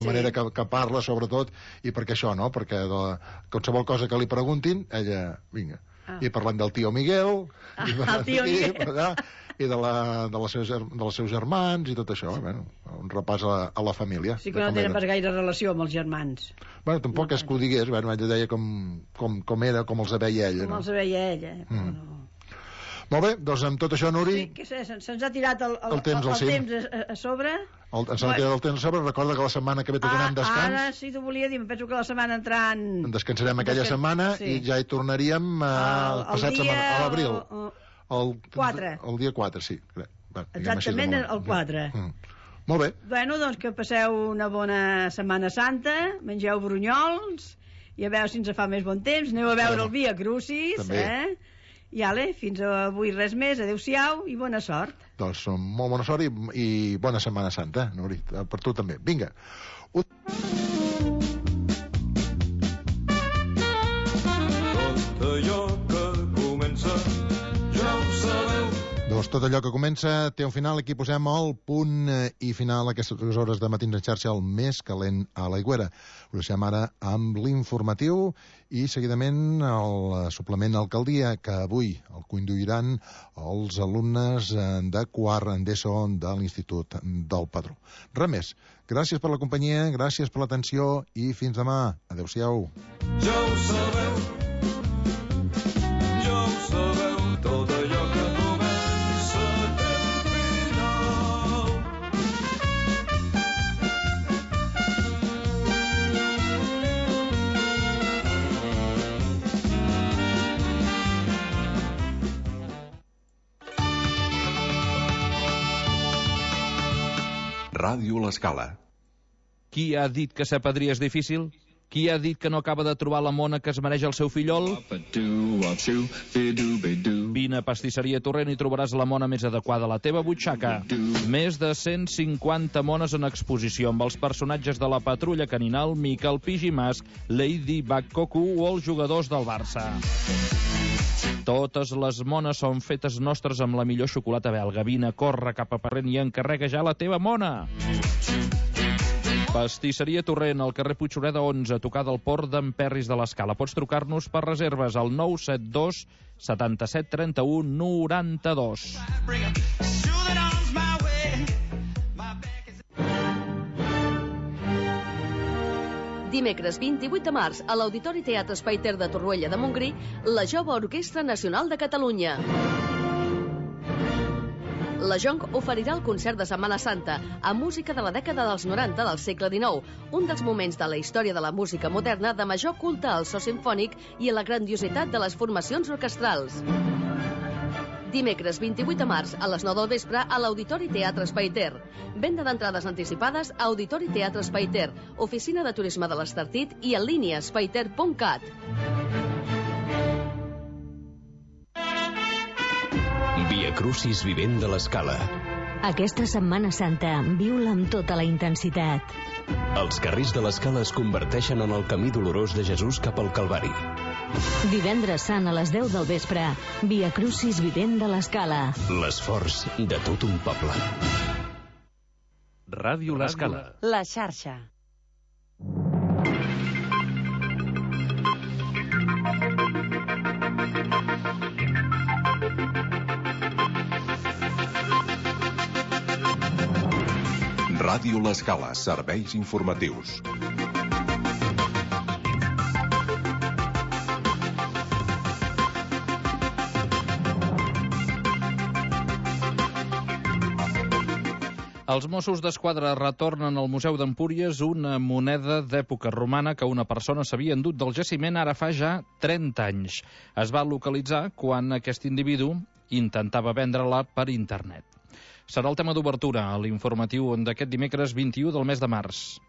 la manera que parla, sobretot, i perquè això, no? Perquè qualsevol cosa que li preguntin, ella, vinga. I parlant del tio Miguel, el tio Miguel, i dels seus germans i tot això, bueno, un repàs a la família. Sí que no tenen pas gaire relació amb els germans. Bueno, tampoc és que ho digués, bueno, ella deia com era, com els veia ella. Com els veia ella, Molt bé, doncs amb tot això, Nuri... Sí, què sé, se'ns ha tirat el temps a sobre. Ens ha tirat el temps a sobre. Recorda que la setmana que ve tornem descans. Ara sí t'ho volia dir, em penso que la setmana entrant... Descansarem aquella setmana i ja hi tornaríem a l'abril. El 4. El dia 4, sí. Exactament el 4. Molt bé. Bueno, doncs que passeu una bona Setmana Santa, mengeu brunyols, i a veure si ens fa més bon temps, aneu a veure el Via Crucis, I fins avui res més, adeu-siau i bona sort. Doncs molt bona sort i bona Setmana Santa, Nuri, per tu també. Vinga. Doncs tot allò que comença té un final. Aquí posem el punt i final a aquestes 2 hores de Matins en xarxa, el més calent a l'Aigüera. Ho deixem ara amb l'informatiu i seguidament el suplement Alcaldia, que avui el conduiran els alumnes de quart d'ESO de l'Institut del Padró. Res més. Gràcies per la companyia, gràcies per l'atenció i fins demà. Adéu-siau. Ja ho sabeu, tot allò que Ràdio L'Escala. Qui ha dit que ser padrí és difícil? Qui ha dit que no acaba de trobar la mona que es mereix el seu fillol? Vine a Pastisseria Torrent i trobaràs la mona més adequada a la teva butxaca. Més de 150 mones en exposició amb els personatges de la Patrulla Caninal, Miquel Pigimas, Lady Bakkoku o els jugadors del Barça. Totes les mones són fetes nostres amb la millor xocolata belga. Vine, corre cap a Parrent i encarrega ja la teva mona. Pastisseria Torrent, al carrer Puigsureda 11, a tocar del Port d'en Perris de l'Escala. Pots trucar-nos per reserves al 972 77 31 92. Dimecres 28 de març, a l'Auditori Teatre Espai Ter de Torroella de Montgrí, la Jove Orquestra Nacional de Catalunya. La Jonc oferirà el concert de Setmana Santa amb música de la dècada dels 90 del segle XIX, un dels moments de la història de la música moderna de major culte al so simfònic i a la grandiositat de les formacions orquestrals. Dimecres 28 de març a les 9 del vespre a l'Auditori Teatre Espai Ter. Venda d'entrades anticipades a Auditori Teatre Espai Ter, Oficina de Turisme de l'Estartit i en línia espaiter.cat. Via Crucis Vivent de l'Escala. Aquesta Setmana Santa viu-la amb tota la intensitat. Els carrers de l'Escala es converteixen en el camí dolorós de Jesús cap al Calvari. Divendres Sant a les 10 del vespre, Via Crucis Vivent de l'Escala. L'esforç de tot un poble. Ràdio L'Escala. La xarxa. Ràdio L'Escala, serveis informatius. Els Mossos d'Esquadra retornen al Museu d'Empúries una moneda d'època romana que una persona s'havia endut del jaciment ara fa ja 30 anys. Es va localitzar quan aquest individu intentava vendre-la per internet. Serà el tema d'obertura a l'informatiu d'aquest dimecres 21 del mes de març.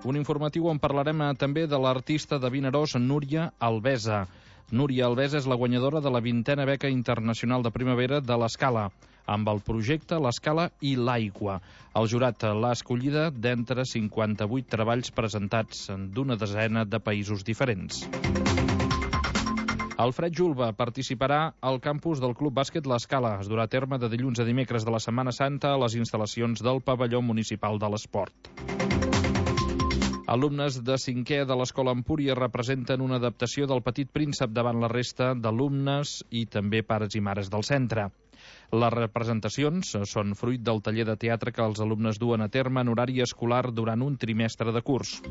Un informatiu on parlarem també de l'artista de Vinaròs, Núria Albesa. Núria Albesa és la guanyadora de la 20a beca internacional de primavera de l'Escala, amb el projecte L'Escala i l'Aigua. El jurat l'ha escollida d'entre 58 treballs presentats d'una desena de països diferents. Alfred Julba participarà al campus del Club Bàsquet l'Escala. Es durà a terme de dilluns a dimecres de la Setmana Santa a les instal·lacions del Pavelló Municipal de l'Esport. Alumnes de 5è de l'Escola Empúries representen una adaptació del Petit Príncep davant la resta d'alumnes i també pares i mares del centre. Les representacions són fruit del taller de teatre que els alumnes duen a terme en horari escolar durant un trimestre de curs.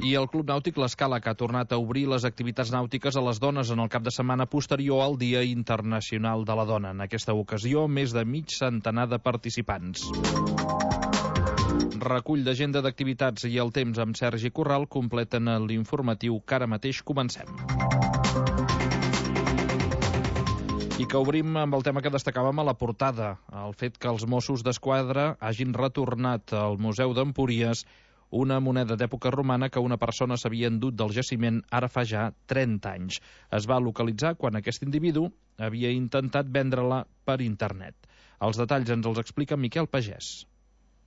I el Club Nàutic l'Escala, que ha tornat a obrir les activitats nàutiques a les dones en el cap de setmana posterior al Dia Internacional de la Dona. En aquesta ocasió, més de mig centenar de participants. Recull d'agenda d'activitats i el temps amb Sergi Corral completen l'informatiu que ara mateix comencem. I que obrim amb el tema que destacàvem a la portada, el fet que els Mossos d'Esquadra hagin retornat al Museu d'Empúries una moneda d'època romana que una persona s'havia endut del jaciment ara fa ja 30 anys. Es va localitzar quan aquest individu havia intentat vendre-la per internet. Els detalls ens els explica Miquel Pagès.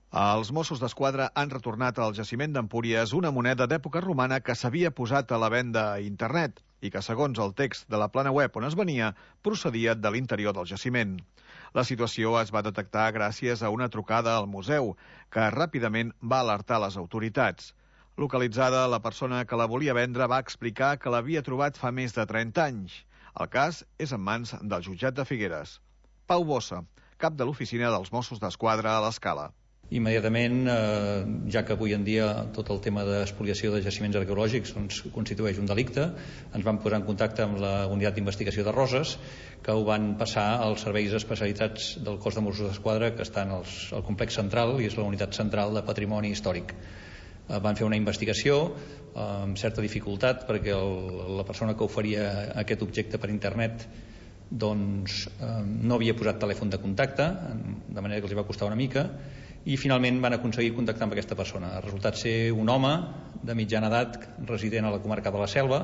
Els Mossos d'Esquadra han retornat al jaciment d'Empúries una moneda d'època romana que s'havia posat a la venda a internet i que, segons el text de la plana web on es venia, procedia de l'interior del jaciment. La situació es va detectar gràcies a una trucada al museu, que ràpidament va alertar les autoritats. Localitzada, la persona que la volia vendre va explicar que l'havia trobat fa més de 30 anys. El cas és en mans del jutjat de Figueres. Pau Bossa, cap de l'oficina dels Mossos d'Esquadra a l'Escala. Immediatament, ja que avui en dia tot el tema d'espoliació de jaciments arqueològics constitueix un delicte, ens vam posar en contacte amb la unitat d'investigació de Roses, que ho van passar als serveis especialitzats del cos de Mossos d'Esquadra, que estan al complex central i és la unitat central de patrimoni històric. Van fer una investigació amb certa dificultat perquè la persona que oferia aquest objecte per internet no havia posat telèfon de contacte, de manera que els va costar una mica, i finalment van aconseguir contactar amb aquesta persona. Ha resultat ser un home de mitjana edat resident a la comarca de la Selva.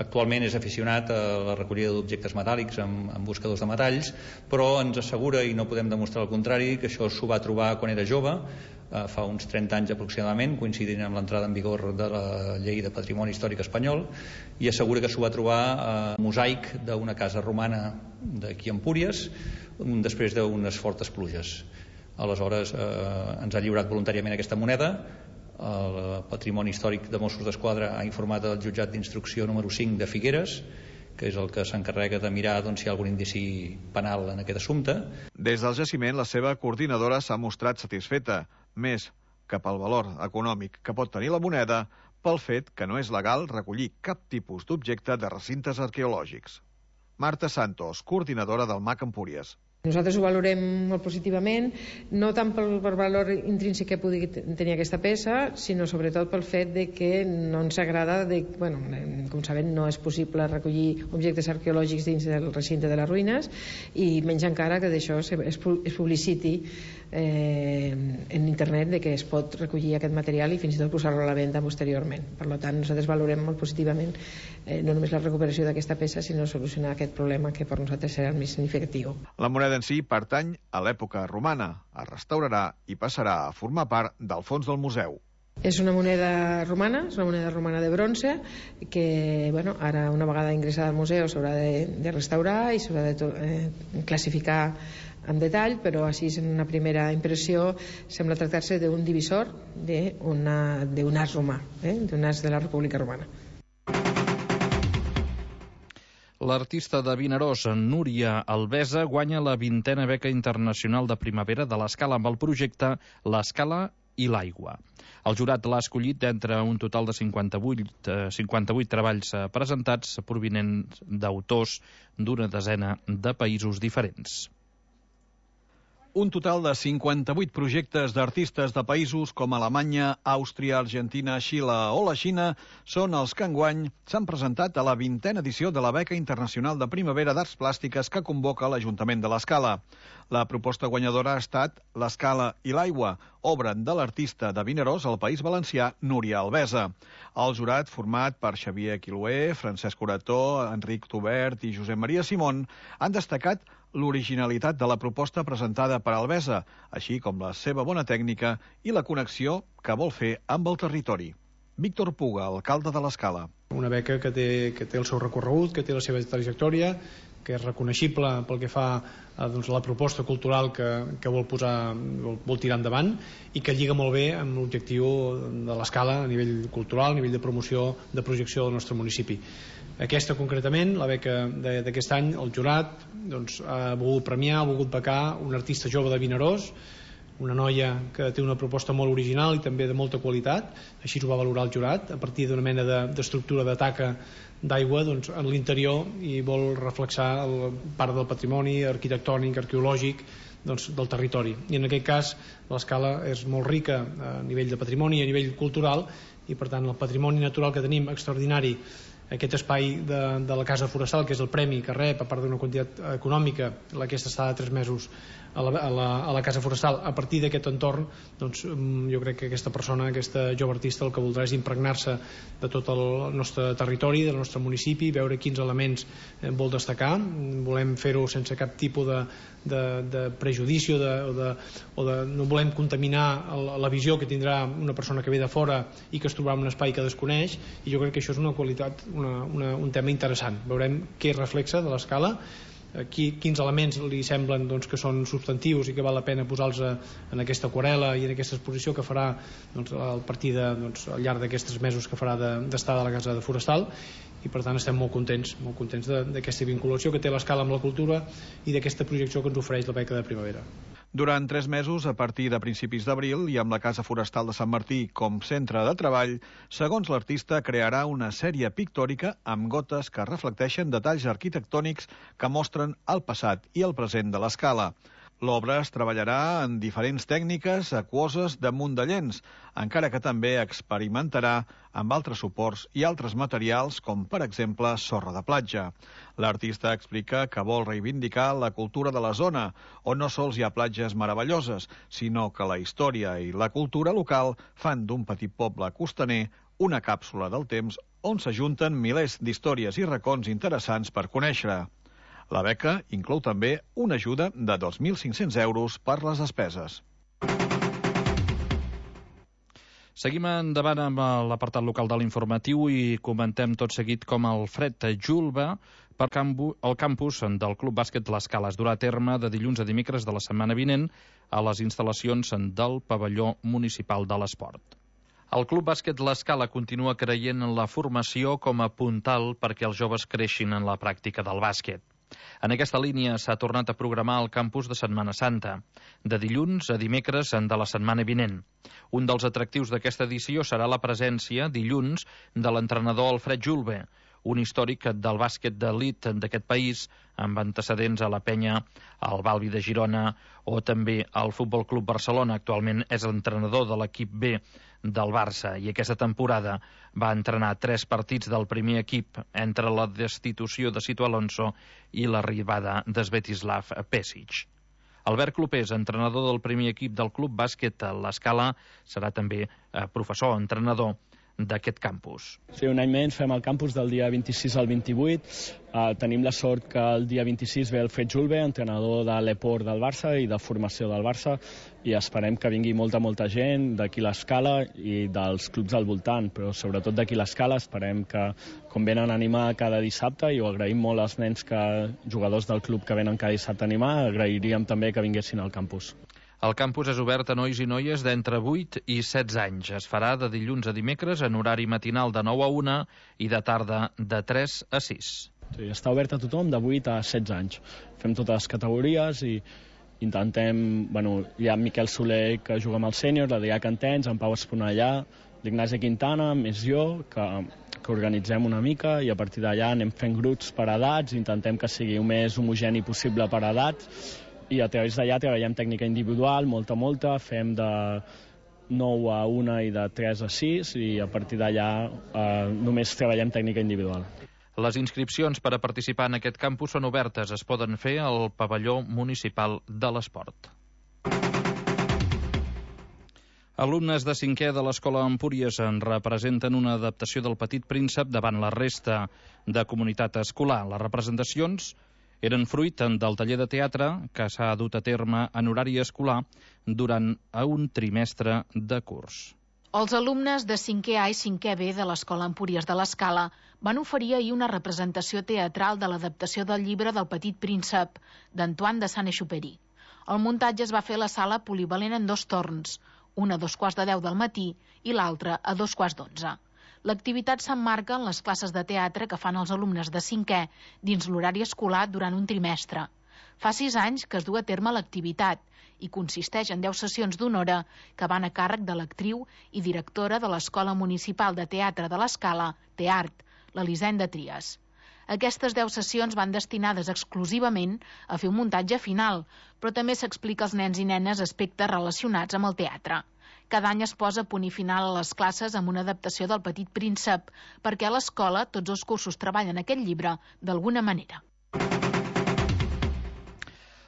Actualment és aficionat a la recollida d'objectes metàl·lics amb buscadors de metalls, però ens assegura, i no podem demostrar el contrari, que això s'ho va trobar quan era jove, fa uns 30 anys aproximadament, coincidint amb l'entrada en vigor de la Llei de Patrimoni Històric Espanyol, i assegura que s'ho va trobar a mosaic d'una casa romana d'aquí a Empúries, després d'unes fortes pluges. Aleshores ens ha lliurat voluntàriament aquesta moneda. El Patrimoni Històric de Mossos d'Esquadra ha informat el jutjat d'instrucció número 5 de Figueres, que és el que s'encarrega de mirar si hi ha algun indici penal en aquest assumpte. Des del jaciment, la seva coordinadora s'ha mostrat satisfeta, més que pel valor econòmic que pot tenir la moneda, pel fet que no és legal recollir cap tipus d'objecte de recintes arqueològics. Marta Santos, coordinadora del MAC Empúries. Nosaltres ho valorem molt positivament, no tant pel valor intrínsec que pugui tenir aquesta peça, sinó sobretot pel fet de que no ens agrada, com sabem, no és possible recollir objectes arqueològics dins del recinte de les ruïnes, i menys encara que d'això es publiciti en internet de que es pot recollir aquest material i fins i tot posar-lo a la venda posteriorment. Per tant, nosaltres valorem molt positivament no només la recuperació d'aquesta peça, sinó solucionar aquest problema que per nosaltres serà el més significatiu. La moneda en si pertany a l'època romana, es restaurarà i passarà a formar part del fons del museu. És una moneda romana, és una moneda romana de bronze que, ara una vegada ingressada al museu s'haurà de restaurar i s'haurà de classificar en detall, però així en una primera impressió sembla tractar-se d'un divisor d'un as romà, d'un as de la República Romana. L'artista de Vinaròs, Núria Albesa, guanya la 20a beca internacional de primavera de l'Escala amb el projecte L'Escala i l'aigua. El jurat l'ha escollit d'entre un total de 58 treballs presentats provinents d'autors d'una desena de països diferents. Un total de 58 projectes d'artistes de països com Alemanya, Àustria, Argentina, Xile o la Xina són els que enguany s'han presentat a la 20a edició de la Beca Internacional de Primavera d'Arts Plàstiques que convoca l'Ajuntament de l'Escala. La proposta guanyadora ha estat L'Escala i l'aigua, obra de l'artista de Vinaròs al País Valencià, Núria Albesa. El jurat, format per Xavier Quilué, Francesc Orató, Enric Tobert i Josep Maria Simón, han destacat l'originalitat de la proposta presentada per Albesa, així com la seva bona tècnica i la connexió que vol fer amb el territori. Víctor Puga, alcalde de l'Escala. Una beca que té el seu recorregut, que té la seva trajectòria, que és reconeixible pel que fa a la proposta cultural que vol tirar endavant i que lliga molt bé amb l'objectiu de l'Escala a nivell cultural, a nivell de promoció, de projecció del nostre municipi. Aquesta concretament, la beca d'aquest any, el jurat ha volgut premiar, ha volgut becar un artista jove de Vinaròs, una noia que té una proposta molt original i també de molta qualitat, així ho va valorar el jurat, a partir d'una mena d'estructura de taca d'aigua en l'interior, i vol reflexar part del patrimoni arquitectònic, arqueològic del territori. I en aquest cas l'Escala és molt rica a nivell de patrimoni i a nivell cultural, i per tant el patrimoni natural que tenim extraordinari, aquest espai de la Casa Forestal, que és el premi que rep a part d'una quantitat econòmica aquesta estada de 3 mesos a la Casa Forestal, a partir d'aquest entorn, jo crec que aquesta persona, aquesta jove artista, el que voldrà és impregnar-se de tot el nostre territori, del nostre municipi, veure quins elements vol destacar. Volem fer-ho sense cap tipus de prejudici o no volem contaminar la visió que tindrà una persona que ve de fora i que es trobarà en un espai que desconeix, i jo crec que això és una qualitat, un tema interessant. Veurem què reflexa de l'Escala, quins elements li semblen que són substantius i que val la pena posar-los en aquesta aquarel·la i en aquesta exposició que farà al al llarg d'aquests mesos que farà d'estada a la Casa Forestal, i per tant estem molt contents d'aquesta vinculació que té l'Escala amb la cultura i d'aquesta projecció que ens ofereix la beca de primavera. Durant 3 mesos, a partir de principis d'abril, i amb la Casa Forestal de Sant Martí com centre de treball, segons l'artista, crearà una sèrie pictòrica amb gotes que reflecteixen detalls arquitectònics que mostren el passat i el present de l'Escala. L'obra es treballarà en diferents tècniques aquoses damunt de llenç, encara que també experimentarà amb altres suports i altres materials, com per exemple sorra de platja. L'artista explica que vol reivindicar la cultura de la zona, on no sols hi ha platges meravelloses, sinó que la història i la cultura local fan d'un petit poble costaner una càpsula del temps on s'ajunten milers d'històries i racons interessants per conèixer. La beca inclou també una ajuda de 2.500 euros per les despeses. Seguim endavant amb l'apartat local de l'informatiu i comentem tot seguit com el Fred Julba per al campus del Club Bàsquet l'Escala es durà a terme de dilluns a dimecres de la setmana vinent a les instal·lacions del pavelló municipal de l'esport. El Club Bàsquet l'Escala continua creient en la formació com a puntal perquè els joves creixin en la pràctica del bàsquet. En aquesta línia s'ha tornat a programar el campus de Setmana Santa, de dilluns a dimecres de la setmana vinent. Un dels atractius d'aquesta edició serà la presència, dilluns, de l'entrenador Alfred Julbe, un històric del bàsquet d'elit d'aquest país, amb antecedents a la Penya, al Balbi de Girona o també al Futbol Club Barcelona. Actualment és l'entrenador de l'equip B del Barça i aquesta temporada va entrenar 3 partits del primer equip entre la destitució de Sito Alonso i l'arribada d'Svetislav Pesic. Albert Clopés, entrenador del primer equip del Club Bàsquet l'Escala, serà també professor, entrenador d'aquest campus. Sí, un any menys fem el campus del dia 26 al 28. Tenim la sort que el dia 26 ve el Fred Julbe, entrenador de l'Eport del Barça i de formació del Barça, i esperem que vingui molta gent d'aquí l'Escala i dels clubs al voltant, però sobretot d'aquí l'Escala. Esperem que, com venen a animar cada dissabte, i ho agraïm molt als nens jugadors del club que venen cada dissabte a animar, agrairíem també que vinguessin al campus. El campus és obert a nois i noies d'entre 8 i 16 anys. Es farà de dilluns a dimecres en horari matinal de 9 a 1 i de tarda de 3 a 6. Sí, està obert a tothom de 8 a 16 anys. Fem totes les categories i intentem... hi ha Miquel Soler, que juga amb el sènior, l'Adrià Cantens, en Pau Esponellà, l'Ignasi Quintana, més jo, que organitzem una mica, i a partir d'allà anem fent grups per edats, intentem que sigui el més homogeni possible per edats, i a través d'allà treballem tècnica individual, molta, fem de 9 a 1 i de 3 a 6, i a partir d'allà només treballem tècnica individual. Les inscripcions per a participar en aquest campus són obertes, es poden fer al pavelló municipal de l'esport. Alumnes de 5è de l'Escola Empúries en representen una adaptació del Petit Príncep davant la resta de comunitat escolar. Les representacions eren fruit del taller de teatre que s'ha dut a terme en horari escolar durant un trimestre de curs. Els alumnes de 5è A i 5è B de l'Escola Empúries de l'Escala van oferir ahir una representació teatral de l'adaptació del llibre del Petit Príncep, d'Antoine de Saint-Exupéry. El muntatge es va fer a la sala polivalent en 2 torns, un a 2:15 del matí i l'altre a 2:15. L'activitat s'emmarca en les classes de teatre que fan els alumnes de 5è dins l'horari escolar durant un trimestre. Fa 6 anys que es du a terme l'activitat i consisteix en 10 sessions d'1 hora que van a càrrec de l'actriu i directora de l'Escola Municipal de Teatre de l'Escala, TEART, l'Elisenda Trias. Aquestes 10 sessions van destinades exclusivament a fer un muntatge final, però també s'explica als nens i nenes aspectes relacionats amb el teatre. Cada any es posa punt i final a les classes amb una adaptació del Petit Príncep, perquè a l'escola tots els cursos treballen aquest llibre d'alguna manera.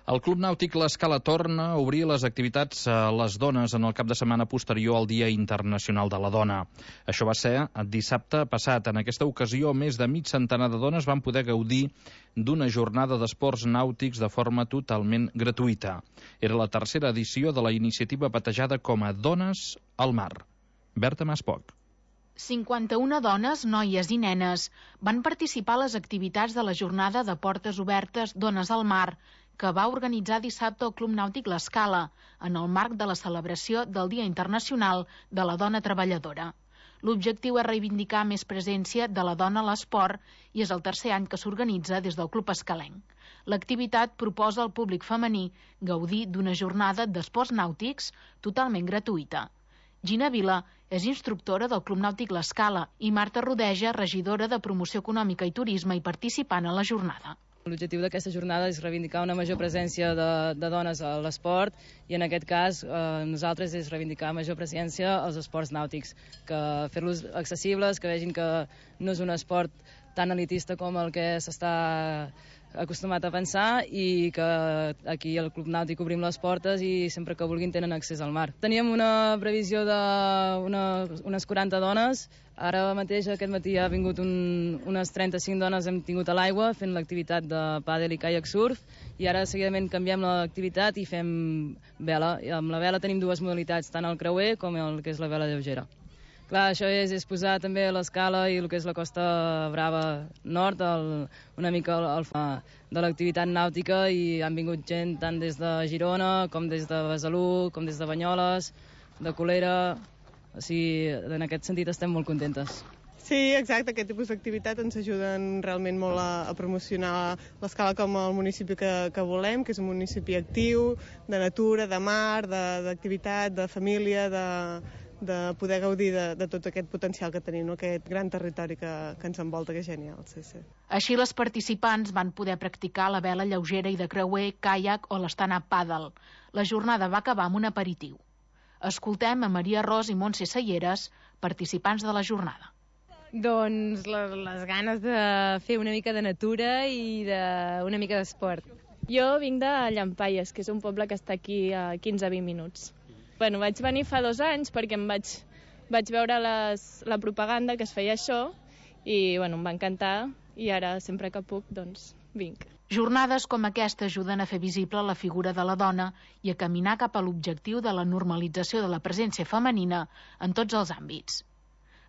El Club Nàutic L'Escala torna a obrir les activitats a les dones en el cap de setmana posterior al Dia Internacional de la Dona. Això va ser dissabte passat. En aquesta ocasió, més de mig centenar de dones van poder gaudir d'una jornada d'esports nàutics de forma totalment gratuïta. Era la 3a edició de la iniciativa batejada com a Dones al Mar. Berta Maspoc. 51 dones, noies i nenes van participar a les activitats de la jornada de portes obertes Dones al Mar, que va organitzar dissabte el Club Nàutic L'Escala, en el marc de la celebració del Dia Internacional de la Dona Treballadora. L'objectiu és reivindicar més presència de la dona a l'esport i és el 3è any que s'organitza des del Club Escalenc. L'activitat proposa al públic femení gaudir d'una jornada d'esports nàutics totalment gratuïta. Gina Vila és instructora del Club Nàutic L'Escala i Marta Rodeja, regidora de Promoció Econòmica i Turisme i participant a la jornada. L'objectiu d'aquesta jornada és reivindicar una major presència de dones a l'esport i en aquest cas nosaltres és reivindicar major presència als esports nàutics, que fer-los accessibles, que vegin que no és un esport tan elitista com el que s'està acostumat a pensar i que aquí al Club Nàutic obrim les portes i sempre que vulguin tenen accés al mar. Teníem una previsió d'unes 40 dones. Ara mateix, aquest matí, ha vingut unes 35 dones, hem tingut a l'aigua fent l'activitat de pàdel i caiac surf i ara seguidament canviem l'activitat i fem vela. I amb la vela tenim 2 modalitats, tant el creuer com el que és la vela lleugera. Clar, això és posar també l'Escala i el que és la Costa Brava Nord una mica de l'activitat nàutica i han vingut gent tant des de Girona com des de Besalú, com des de Banyoles, de Colera. O sigui, en aquest sentit estem molt contentes. Sí, exacte, aquest tipus d'activitat ens ajuden realment molt a promocionar l'Escala com el municipi que volem, que és un municipi actiu, de natura, de mar, d'activitat, de família, de poder gaudir de tot aquest potencial que tenim, aquest gran territori que ens envolta, que és genial. Sí. Així, les participants van poder practicar la vela lleugera i de creuer, caiac o l'stand-up paddle. La jornada va acabar amb un aperitiu. Escoltem a Maria Ros i Montse Selleres, participants de la jornada. Doncs les ganes de fer una mica de natura i una mica d'esport. Jo vinc de Llampaies, que és un poble que està aquí a 15-20 minuts. Bueno, vaig venir fa 2 anys perquè em vaig veure la propaganda que es feia això i bueno, em va encantar i ara sempre que puc doncs vinc. Jornades com aquesta ajuden a fer visible la figura de la dona i a caminar cap a l'objectiu de la normalització de la presència femenina en tots els àmbits.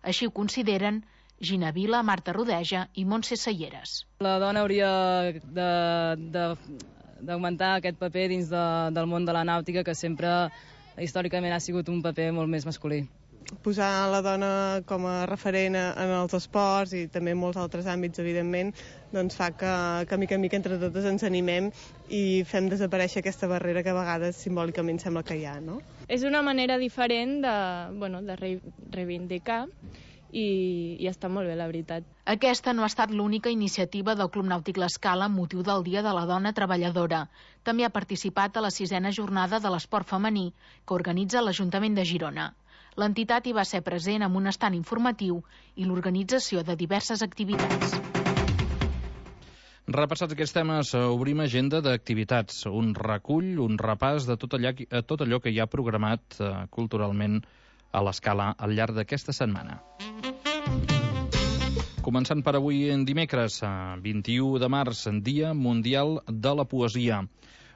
Així ho consideren Gina Vila, Marta Rodeja i Montse Selleres. La dona hauria d'augmentar aquest paper dins del món de la nàutica, que sempre històricament ha sigut un paper molt més masculí. Posar la dona com a referent en els esports i també en molts altres àmbits, evidentment, doncs fa que mica en mica entre totes ens animem i fem desaparèixer aquesta barrera que a vegades simbòlicament sembla que hi ha, no? És una manera diferent de reivindicar i està molt bé, la veritat. Aquesta no ha estat l'única iniciativa del Club Nàutic L'Escala amb motiu del Dia de la Dona Treballadora. També ha participat a la 6a jornada de l'esport femení que organitza l'Ajuntament de Girona. L'entitat hi va ser present amb un estand informatiu i l'organització de diverses activitats. Repassats aquests temes, obrim agenda d'activitats. Un recull, un repàs de tot allò que hi ha programat culturalment a l'Escala al llarg d'aquesta setmana. Començant per avui en dimecres, 21 de març, Dia Mundial de la Poesia.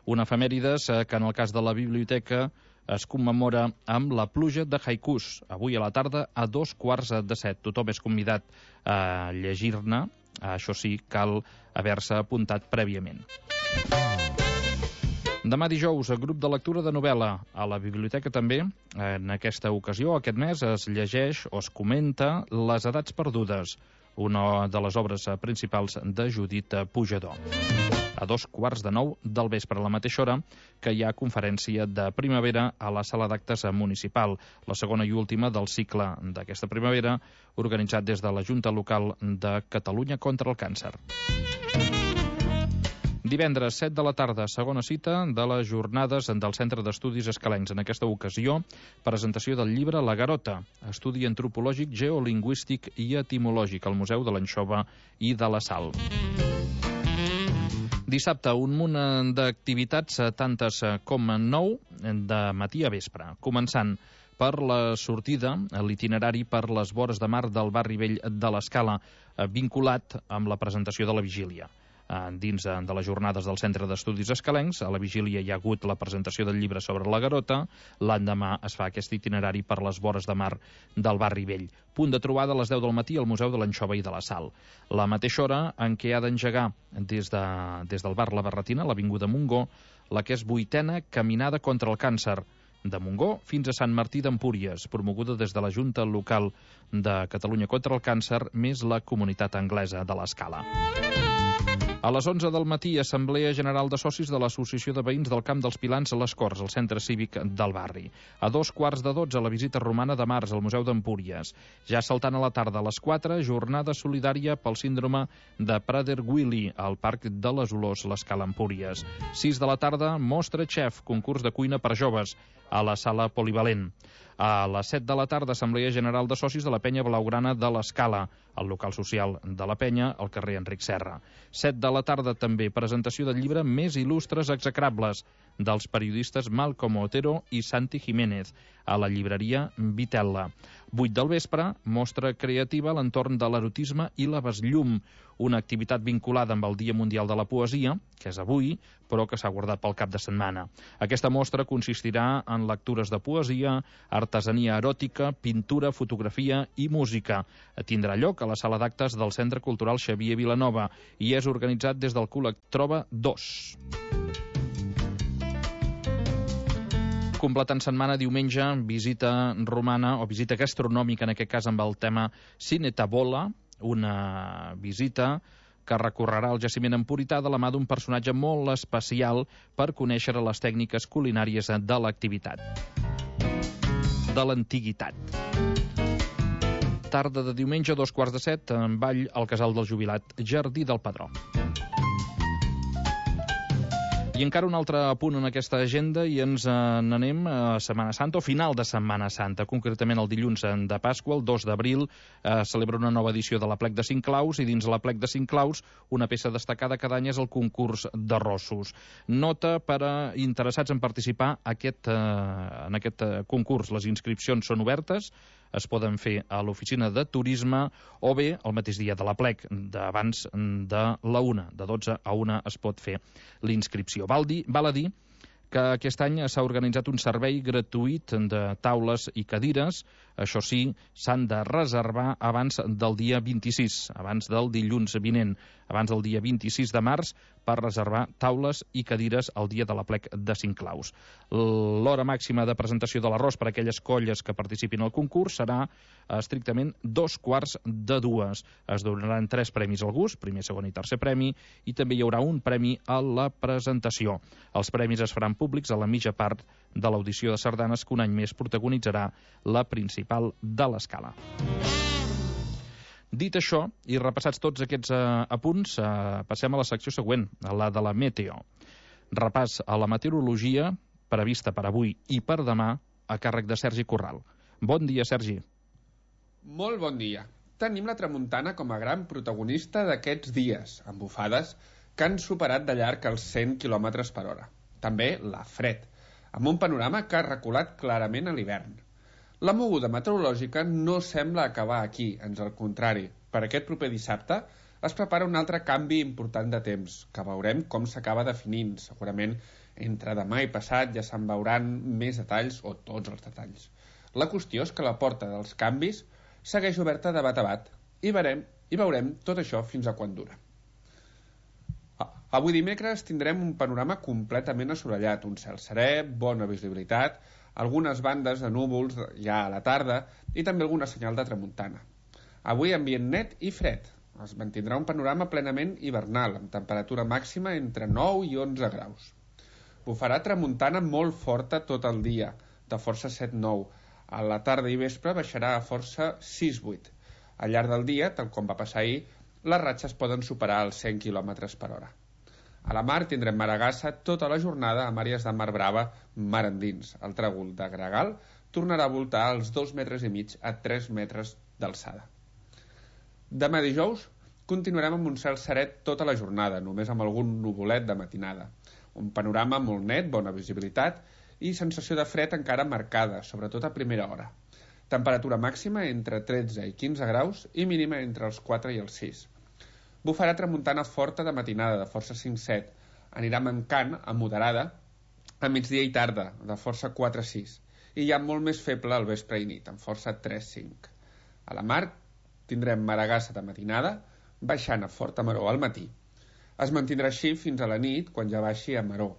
Una efemèrides que en el cas de la biblioteca es commemora amb la pluja de haikus, avui a la tarda a 6:45. Tothom és convidat a llegir-ne, això sí, cal haver-se apuntat prèviament. Demà dijous, grup de lectura de novel·la a la biblioteca també. En aquesta ocasió, aquest mes, es llegeix o es comenta Les edats perdudes, una de les obres principals de Judit Pujador. A 8:45 del vespre, a la mateixa hora, que hi ha conferència de primavera a la sala d'actes municipal, la segona i última del cicle d'aquesta primavera, organitzat des de la Junta Local de Catalunya contra el Càncer. Divendres, 7 de la tarda, segona cita de les jornades del Centre d'Estudis Escalencs. En aquesta ocasió, presentació del llibre La Garota, estudi antropològic, geolingüístic i etimològic al Museu de l'Anxova i de la Sal. Dissabte, un munt d'activitats, tantes com 9, de matí a vespre. Començant per la sortida, l'itinerari per les vores de mar del barri vell de l'Escala, vinculat amb la presentació de la vigília. Dins de les jornades del Centre d'Estudis Escalencs, a la vigília hi ha hagut la presentació del llibre sobre la Garota, l'endemà es fa aquest itinerari per les vores de mar del barri vell. Punt de trobada a les 10 del matí al Museu de l'Anxova i de la Sal. La mateixa hora en què ha d'engegar des del bar La Barretina, l'avinguda Montgó, la que és 8a Caminada contra el Càncer, de Montgó fins a Sant Martí d'Empúries, promoguda des de la Junta Local de Catalunya contra el Càncer, més la comunitat anglesa de l'Escala. A les 11 del matí, Assemblea General de Socis de l'Associació de Veïns del Camp dels Pilans a les Corts, al centre cívic del barri. A 2:15, la visita romana de març al Museu d'Empúries. Ja saltant a la tarda, a les 4, jornada solidària pel síndrome de Prader-Willi al Parc de les Olors, l'Escala Empúries. 6 de la tarda, mostra xef, concurs de cuina per joves, a la sala polivalent. A les 7 de la tarda, Assemblea General de Socis de la Penya Blaugrana de l'Escala, al local social de la Penya, al carrer Enric Serra. 7 de la tarda també, presentació del llibre Més il·lustres execrables, dels periodistes Malcom Otero i Santi Jiménez, a la llibreria Vitella. 8 del vespre, mostra creativa a l'entorn de l'erotisme i la besllum, una activitat vinculada amb el Dia Mundial de la Poesia, que és avui, però que s'ha guardat pel cap de setmana. Aquesta mostra consistirà en lectures de poesia, artesania eròtica, pintura, fotografia i música. Tindrà lloc a la sala d'actes del Centre Cultural Xavier Vilanova i és organitzat des del col·lectiu Troba 2. Completant setmana, diumenge, visita romana o visita gastronòmica, en aquest cas amb el tema Cine Tabola, una visita que recorrerà el jaciment empurità de la mà d'un personatge molt especial per conèixer les tècniques culinàries de l'activitat, de l'antiguitat. Tarda de diumenge, 6:45, en ball al Casal del Jubilat, Jardí del Padró. I encara un altre punt en aquesta agenda i ens n'anem a Setmana Santa, o final de Setmana Santa, concretament el dilluns de Pasqua, el 2 d'abril, celebra una nova edició de l'Aplec de 5 claus, i dins l'Aplec de 5 claus una peça destacada cada any és el concurs d'arrossos. Nota per a interessats en participar en aquest concurs. Les inscripcions són obertes, es poden fer a l'oficina de turisme o bé el mateix dia de l'Aplec, d'abans de la 1, de 12 a 1 es pot fer l'inscripció. Val a dir que aquest any s'ha organitzat un servei gratuït de taules i cadires. Això sí, s'han de reservar abans del dia 26, abans del dilluns vinent, abans del dia 26 de març, per reservar taules i cadires el dia de l'Aplec de 5 claus. L'hora màxima de presentació de l'arròs per a aquelles colles que participin al concurs serà estrictament 2:45. Es donaran 3 premis al gust, primer, segon i tercer premi, i també hi haurà un premi a la presentació. Els premis es faran públics a la mitja part de l'audició de sardanes que un any més protagonitzarà la principal de l'Escala. Dit això, i repassats tots aquests apunts, passem a la secció següent, a la de la meteo. Repàs a la meteorologia prevista per avui i per demà a càrrec de Sergi Corral. Bon dia, Sergi. Molt bon dia. Tenim la tramuntana com a gran protagonista d'aquests dies, amb bufades que han superat de llarg els 100 km per hora. També la fred, amb un panorama que ha reculat clarament a l'hivern. La moguda meteorològica no sembla acabar aquí, ans al contrari. Per aquest proper dissabte es prepara un altre canvi important de temps, que veurem com s'acaba definint, segurament Entre demà i passat ja se'n veuran més detalls, o tots els detalls. La qüestió és que la porta dels canvis segueix oberta de bat a bat i veurem tot això fins a quan dura. Avui dimecres tindrem un panorama completament assolellat, un cel serè, bona visibilitat, algunes bandes de núvols ja a la tarda i també alguna senyal de tramuntana. Avui ambient net i fred. Es mantindrà un panorama plenament hivernal, amb temperatura màxima entre 9 i 11 graus. Bufarà tramuntana molt forta tot el dia, de força 7-9. A la tarda i vespre baixarà a força 6-8. Al llarg del dia, tal com va passar ahir, les ratxes poden superar els 100 km per hora. A la mar tindrem maragassa tota la jornada amb àrees de mar brava mar endins. El tràgol de Gregal tornarà a voltar als 2,5 metres a 3 metres d'alçada. Demà dijous continuarem amb un cel seret tota la jornada, només amb algun nuvolet de matinada. Un panorama molt net, bona visibilitat i sensació de fred encara marcada, sobretot a primera hora. Temperatura màxima entre 13 i 15 graus i mínima entre els 4 i els 6. Bufarà tramuntana forta de matinada, de força 5-7. Anirà mancant a moderada a migdia i tarda, de força 4-6. I ja molt més feble al vespre i nit, amb força 3-5. A la mar tindrem maragassa de matinada, baixant a forta maró al matí. Es mantindrà així fins a la nit, quan ja baixi a maró.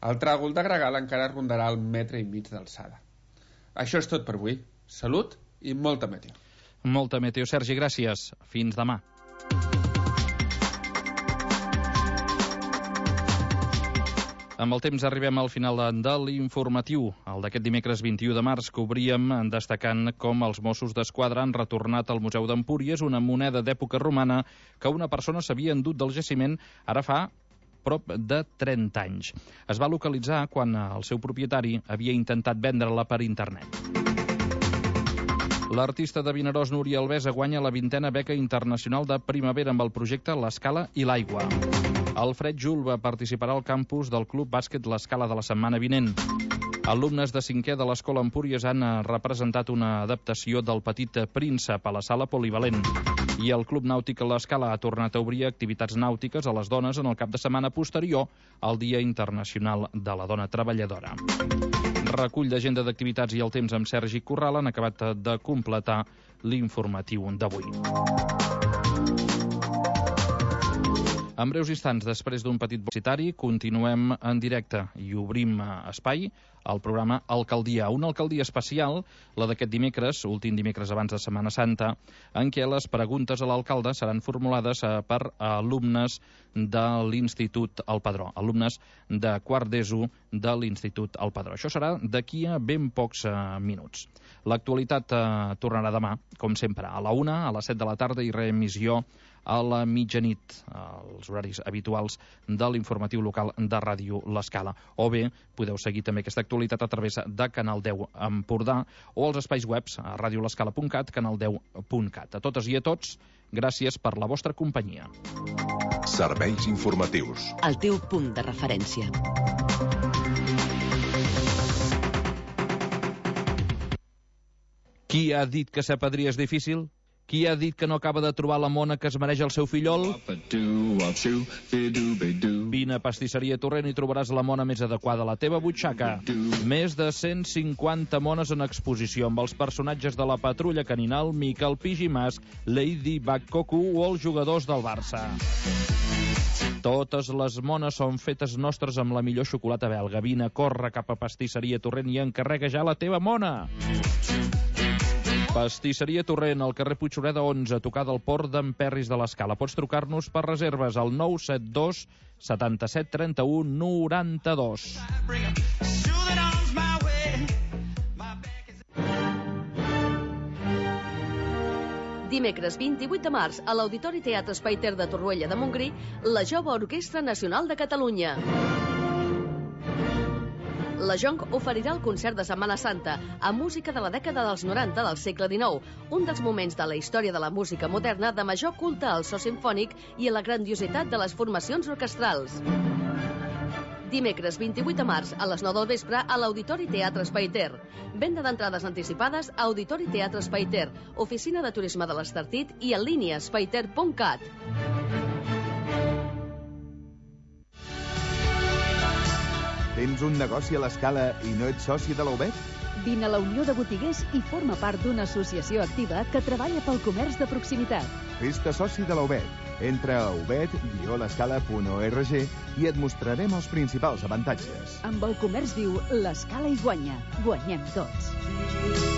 El tràgol de Gregal encara rondarà el 1,5 metres d'alçada. Això és tot per avui. Salut i molta meteo. Molta meteo, Sergi, gràcies. Fins demà. Amb el temps arribem al final de l'informatiu. El d'aquest dimecres 21 de març que obríem destacant com els Mossos d'Esquadra han retornat al Museu d'Empúries una moneda d'època romana que una persona s'havia endut del jaciment ara fa prop de 30 anys. Es va localitzar quan el seu propietari havia intentat vendre-la per internet. L'artista de Vinaròs, Núria Alvesa, guanya la 20a beca internacional de primavera amb el projecte L'Escala i l'Aigua. Alfred Julba participarà al campus del Club Bàsquet L'Escala de la setmana vinent. Alumnes de 5è de l'Escola Empúries han representat una adaptació del Petit Príncep a la sala polivalent. I el Club Nàutic L'Escala ha tornat a obrir activitats nàutiques a les dones en el cap de setmana posterior al Dia Internacional de la Dona Treballadora. Recull d'agenda d'activitats i el temps amb Sergi Corral han acabat de completar l'informatiu d'avui. En breus instants, després d'un petit publicitari, continuem en directe i obrim espai al programa Alcaldia. Una alcaldia especial, la d'aquest dimecres, últim dimecres abans de Setmana Santa, en què les preguntes a l'alcalde seran formulades per alumnes de l'Institut El Padró, alumnes de quart d'ESO de l'Institut El Padró. Això serà d'aquí a ben pocs minuts. L'actualitat tornarà demà, com sempre, a la 1, a les 7 de la tarda i reemissió a la mitjanit, als horaris habituals de l'informatiu local de Ràdio L'Escala. O bé, podeu seguir també aquesta actualitat a través de Canal 10 Empordà o als espais webs a radiolescala.cat, canal10.cat. A totes i a tots, gràcies per la vostra companyia. Serveis informatius. El teu punt de referència. Qui ha dit que ser padrí és difícil? Qui ha dit que no acaba de trobar la mona que es mereix el seu fillol? Vine a Pastisseria Torrent i trobaràs la mona més adequada a la teva butxaca. Més de 150 mones en exposició amb els personatges de la Patrulla Caninal, Miquel Pigimàs, Lady Bakkoku o els jugadors del Barça. Totes les mones són fetes nostres amb la millor xocolata belga. Vine, corre cap a Pastisseria Torrent i encarrega ja la teva mona. Pastisseria Torrent, al carrer Puigsureda 11, a tocar del port d'en Perris de l'Escala. Pots trucar-nos per reserves al 972 77 31 92. Dimecres 28 de març, a l'Auditori Teatre Espai Ter de Torroella de Montgrí, la Jove Orquestra Nacional de Catalunya. La Jonc oferirà el concert de Setmana Santa amb música de la dècada dels 90 del segle XIX, un dels moments de la història de la música moderna de major culte al so simfònic i a la grandiositat de les formacions orquestrals. Dimecres 28 de març a les 9 del vespre a l'Auditori Teatre Espai Ter. Venda d'entrades anticipades a Auditori Teatre Espai Ter, Oficina de Turisme de l'Estartit i en línia espaiter.cat. Tens un negoci a l'Escala i no ets soci de la UBET? Vine a la Unió de Botiguers i forma part d'una associació activa que treballa pel comerç de proximitat. Fes-te soci de la UBET. Entra a ubet-l'escala.org i et mostrarem els principals avantatges. Amb el comerç viu, l'Escala hi guanya. Guanyem tots.